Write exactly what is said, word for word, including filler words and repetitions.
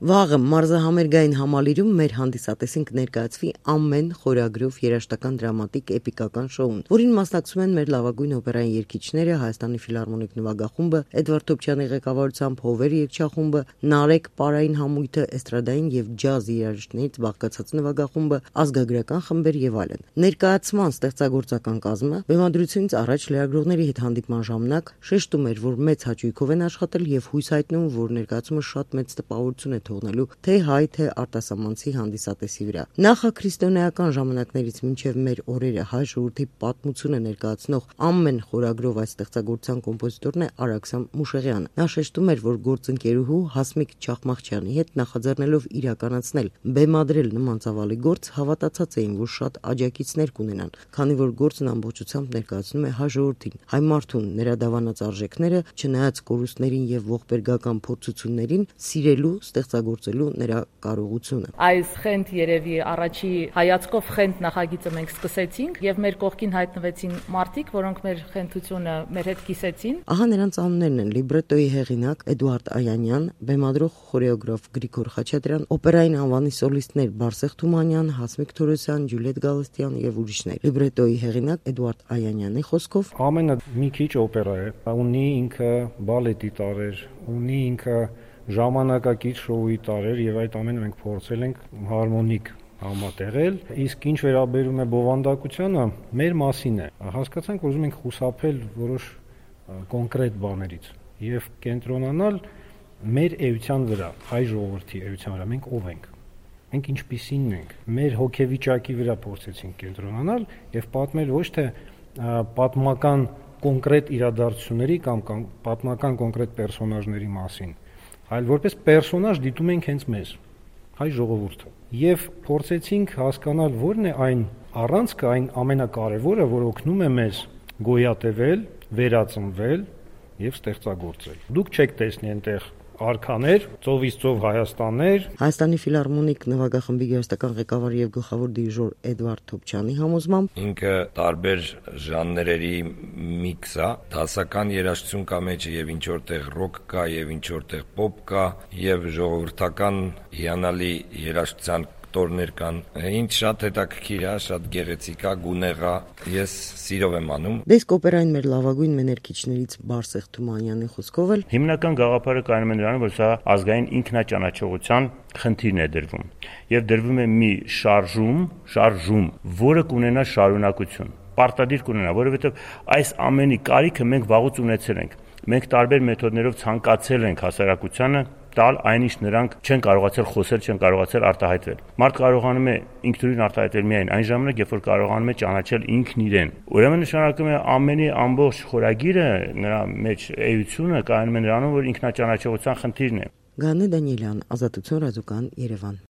Վաղը մարզահամերգային համալիրում մեր հանդիսատեսին կներկայացվի ամեն խորագրով երաժշտական դրամատիկ էպիկական շոուն, որին մասնակցում են մեր լավագույն օպերային երգիչները, Հայաստանի ֆիլհարմոնիկ նվագախումբը, Էդվարդ Թոփչյանի ղեկավարությամբ Հովեր երգչախումբը, Նարեկ պարային համույթը, էստրադային եւ ջազ երաժիշտներից բաղկացած նվագախումբը, ազգագրական խմբեր եւ այլն։ Ներկայացման ստեղծագործական կազմը բեմադրությունից առաջ լրագրողների հետ հանդիպման ժամանակ շեշտում էր, որ մեծ հաճույքով են աշխատել եւ հույս հայտնում, որ ներկայացումը շատ մեծ տպավորություն է թողնելու թե հայ, թե արտասահմանցի հանդիսատեսի վրա։ Նախաքրիստոնեական ժամանակներից մինչև մեր օրերը հայ ժողովրդի պատմությունը ներկայացնող ամեն խորագրով այս ստեղծագործության կոմպոզիտորն է Արաքսան Մուշեղյանը։ Նա շեշտում էր, որ գործընկերուհու Հասմիկ Չախմաղչյանի հետ նախաձեռնելով իրականացնել բեմադրել նման ծավալի գործ, հավատացած էին, որ շատ աջակիցներ կունենան, քանի որ գործն ամբողջությամբ ներկայացնում է հայ ժողովրդին, հայ մարդուն, նրա դավանած արժեքները, չնայած կորուստներին եւ ողբերգական փորձություններին, սիրելու, ստեղծագործելու նրա կարողությունը։ Այս խենթ երևի առաջի հայացքով խենթ նախագիծը մենք սկսեցինք եւ մեր կողքին հայտնվեցին մարդիկ, որոնք մեր խենթությունը մեր հետ կիսեցին։ Ահա նրանց անուններն են՝ լիբրետոյի հեղինակ Էդուարդ Այանյան, բեմադրող խորեոգրաֆ Գրիգոր Խաչատրյան, օպերային անվանի սոլիստներ Բարսեղ Թումանյան, Հասմիկ Թորոսյան, Ջուլիետ Գալստյան եւ ուրիշներ։ Լիբրետոյի հեղինակ Էդուարդ Այանյանի խոսքով ամենը մի քիչ օպերա է, ունի ինքը բալետի տարեր, ունի ինքը ժամանակակից շոուի տարեր եւ այդ ամենը մենք փորձել ենք հարմոնիկ համատեղել, իսկ ինչ վերաբերում է բովանդակությանը, մեր մասին է։ Հասկացանք, որ ուզում ենք խուսափել որոշ կոնկրետ բաներից եւ կենտրոնանալ մեր էության վրա, հայ ժողովրդի էության վրա, մենք ով ենք։ Մենք ինչպիսինն ենք։ Մեր հոգեվիճակի վրա փորձեցինք կենտրոնանալ եւ պատմել ոչ թե պատմական կոնկրետ իրադարձությունների կամ պատմական կոնկրետ պերսոնաժների մասին, այլ որպես պերսոնաժ դիտում ենք հենց մեզ, հայ ժողովուրդը, եւ փորձեցինք հասկանալ որն է այն առանցքը, այն ամենակարևորը, որ օգնում է մեզ գոյատևել, վերածնվել եւ ստեղծագործել։ Դուք չեք տեսնի այնտեղ արքաներ, ծովից ծով Հայաստաններ։ Հայաստանի ֆիլհարմոնիկ նվագախմբի երաժշտական ղեկավար եւ գլխավոր դիրիժոր Էդվարդ Թոփչյանի համոզմամբ ինքը տարբեր ժանրերի միքս է, դասական երաժշտություն կա մեջը եւ ինչ որտեղ ռոք կա եւ ինչ որտեղ պոպ կա եւ ժողովրդական հիանալի երաժշտության տորներ կան։ Ինչ շատ հետաքրքիր է, շատ գեղեցիկ է, գունեղ է։ Ես սիրով եմ անում։ Դեսկ օպերային մեր լավագույն մեներկիչներից Բարսեղ Թումանյանի խոսքով էլ հիմնական գաղափարը կայանում է նրանում, որ սա ազգային ինքնաճանաչողության խնդիրն է դրվում եւ դրվում է մի շարժում, շարժում, որը կունենա շարունակություն, պարտադիր կունենա, որովհետեւ այս ամենի կարիքը մենք վաղուց ունեցել ենք։ Մենք տարբեր մեթոդներով ցանկացել ենք հասարակությանը տալ այն ինչ նրանք չեն կարողացել խոսել, չեն կարողացել արտահայտվել։ Մարդ կարողանում է ինքնուրույն արտահայտվել միայն այն ժամանակ, երբ որ կարողանում է ճանաչել ինքն իրեն։ Ուրեմն նշանակում է ամենի ամբողջ խորագիրը, նրա մեջ էությունը կայանում է նրանում, որ ինքնաճանաչողության խնդիրն է։ Գանե Դանիելյան, Ազատություն ռադիոկան, Երևան։